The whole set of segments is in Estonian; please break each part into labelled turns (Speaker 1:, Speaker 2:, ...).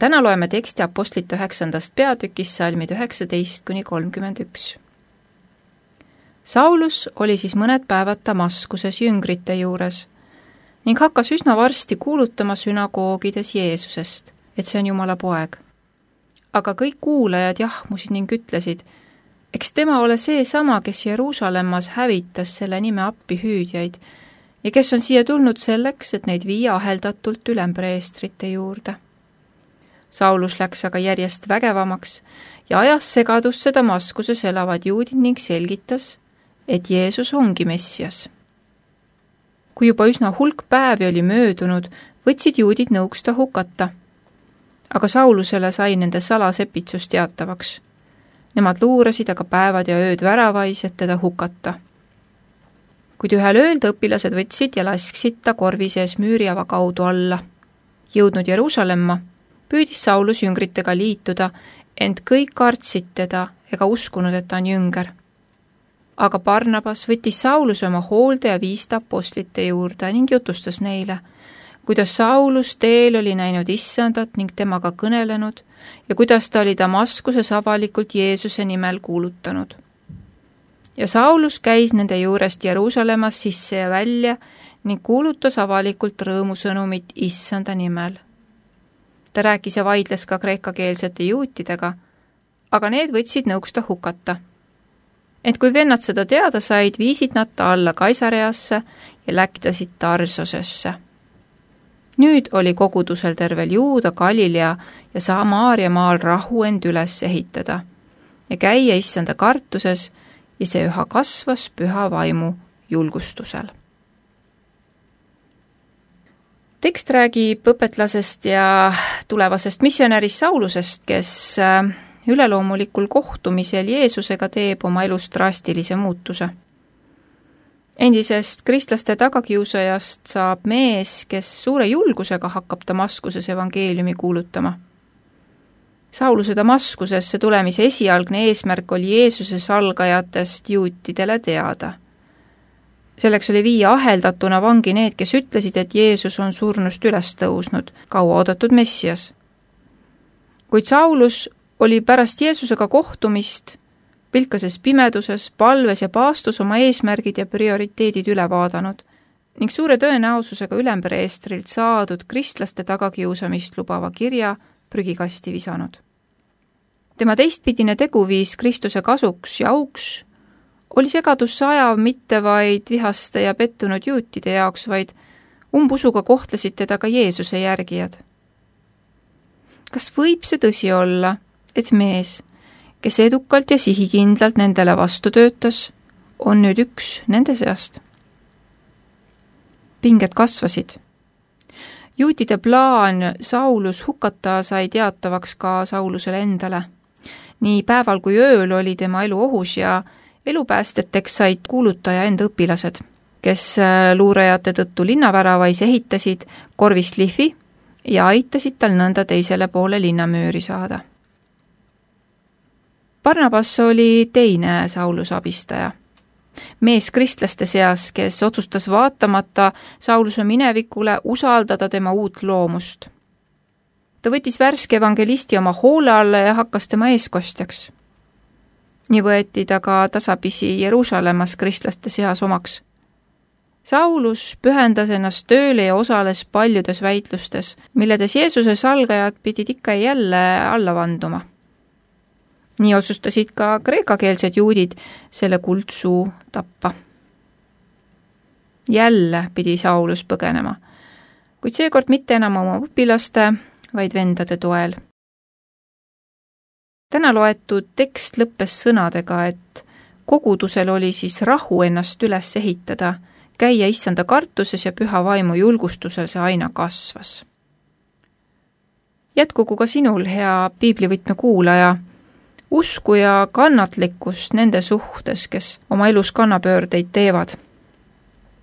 Speaker 1: Täna loeme teksti Apostlite 9. peatükis salmid 19–31. Saulus oli siis mõned päevad Damaskuses jüngrite juures ning hakkas üsna varsti kuulutama sünagoogides Jeesusest, et see on Jumala poeg. Aga kõik kuulajad jahmusid ning ütlesid, eks tema ole seesama, kes Jeruusalemmas hävitas selle nime appihüüdjaid ja kes on siia tulnud selleks, et neid viia aheldatult ülempreestrite juurde. Saulus läks aga järjest vägevamaks ja ajas segadusse Damaskuses elavad juudid ning selgitas, et Jeesus ongi Messias. Kui juba üsna hulk päevi oli möödunud, võtsid juudid nõuks ta hukata. Aga Saulusele sai nende salasepitsus teatavaks. Nemad luurasid aga päevad ja ööd väravais, et teda hukata. Kuid ühel ööl õpilased võtsid ja lasksid ta korvi sees müüriava kaudu alla. Jõudnud Jeruusalemma, püüdis Saulus jüngritega liituda, ent kõik kartsid teda ega uskunud, et ta on jünger. Aga Barnabas võttis Sauluse oma hoolde ja viis ta apostlite juurde ning jutustas neile, kuidas Saulus teel oli näinud Issandat ning temaga kõnelenud ja kuidas ta oli Damaskuses avalikult Jeesuse nimel kuulutanud. Ja Saulus käis nende juurest Jeruusalemmas sisse ja välja ning kuulutas avalikult rõõmusõnumit Issanda nimel. Ta rääkis ja vaidles ka kreekakeelsete juutidega, aga need võtsid nõuks ta hukata. Ent kui vennad seda teada said, viisid nad ta alla Kaisareasse ja läkitasid Tarsosesse. Nüüd oli kogudusel tervel Juuda, Galilea ja Samaaria maal rahu end üles ehitada ja käia Issanda kartuses ja see üha kasvas püha vaimu julgustusel. Tekst räägib õpetlasest ja tulevasest missionärist Saulusest, kes üleloomulikul kohtumisel Jeesusega teeb oma elus drastilise muutuse. Endisest kristlaste tagakiusajast saab mees, kes suure julgusega hakkab Damaskuses evangeeliumi kuulutama. Sauluse Damaskusesse tulemise esialgne eesmärk oli Jeesuse salgajatest juutidele teada. Selleks oli viia aheldatuna vangi need, kes ütlesid, et Jeesus on surnust üles tõusnud, kaua oodatud Messias. Kuid Saulus oli pärast Jeesusega kohtumist pilkases pimeduses, palves ja paastus oma eesmärgid ja prioriteedid üle vaadanud ning suure tõenäosusega ülempreestrilt saadud kristlaste tagakiusamist lubava kirja prügikasti visanud. Tema teistpidine teguviis Kristuse kasuks ja auks oli segadusse ajav mitte vaid vihaste ja pettunud juutide jaoks, vaid umbusuga kohtlesid teda ka Jeesuse järgijad. Kas võib see tõsi olla, et mees, kes edukalt ja sihikindlalt nendele vastu töötas, on nüüd üks nende seast? Pinged kasvasid. Juutide plaan Saulus hukata sai teatavaks ka Saulusele endale. Nii päeval kui ööl oli tema elu ohus ja elupäästeteks said kuulutaja enda õpilased, kes luurajate tõttu linnaväravais ehitasid korvist lihvi ja aitasid tal nõnda teisele poole linnamüüri saada. Barnabas oli teine Sauluse abistaja. Mees kristlaste seas, kes otsustas vaatamata Sauluse minevikule usaldada tema uut loomust. Ta võttis värske evangelisti oma hoole alla ja hakkas tema eeskostjaks. Nii võeti ta ka tasapisi Jeruusalemmas kristlaste seas omaks. Saulus pühendas ennast tööle ja osales paljudes väitlustes, milledes Jeesuse salgajad pidid ikka ja jälle alla vanduma. Nii otsustasid ka kreekakeelsed juudid selle kuldsuu tappa. Jälle pidi Saulus põgenema, kuid seekord mitte enam oma õpilaste, vaid vendade toel. Täna loetud tekst lõppes sõnadega, et kogudusel oli siis rahu ennast üles ehitada, käia Issanda kartuses ja püha vaimu julgustusel see aina kasvas. Jätkugu ka sinul, hea piiblivõtme kuulaja, usku ja kannatlikkust nende suhtes, kes oma elus kannapöördeid teevad.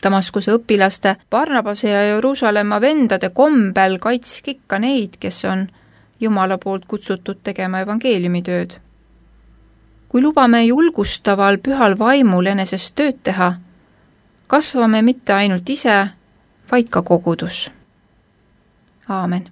Speaker 1: Damaskuse õpilaste, Barnabase ja Jeruusalemma vendade kombel kaitsk ikka neid, kes on Jumala poolt kutsutud tegema evangeeliumitööd. Kui lubame julgustaval pühal vaimul enesest tööd teha, kasvame mitte ainult ise, vaid ka kogudus. Aamen.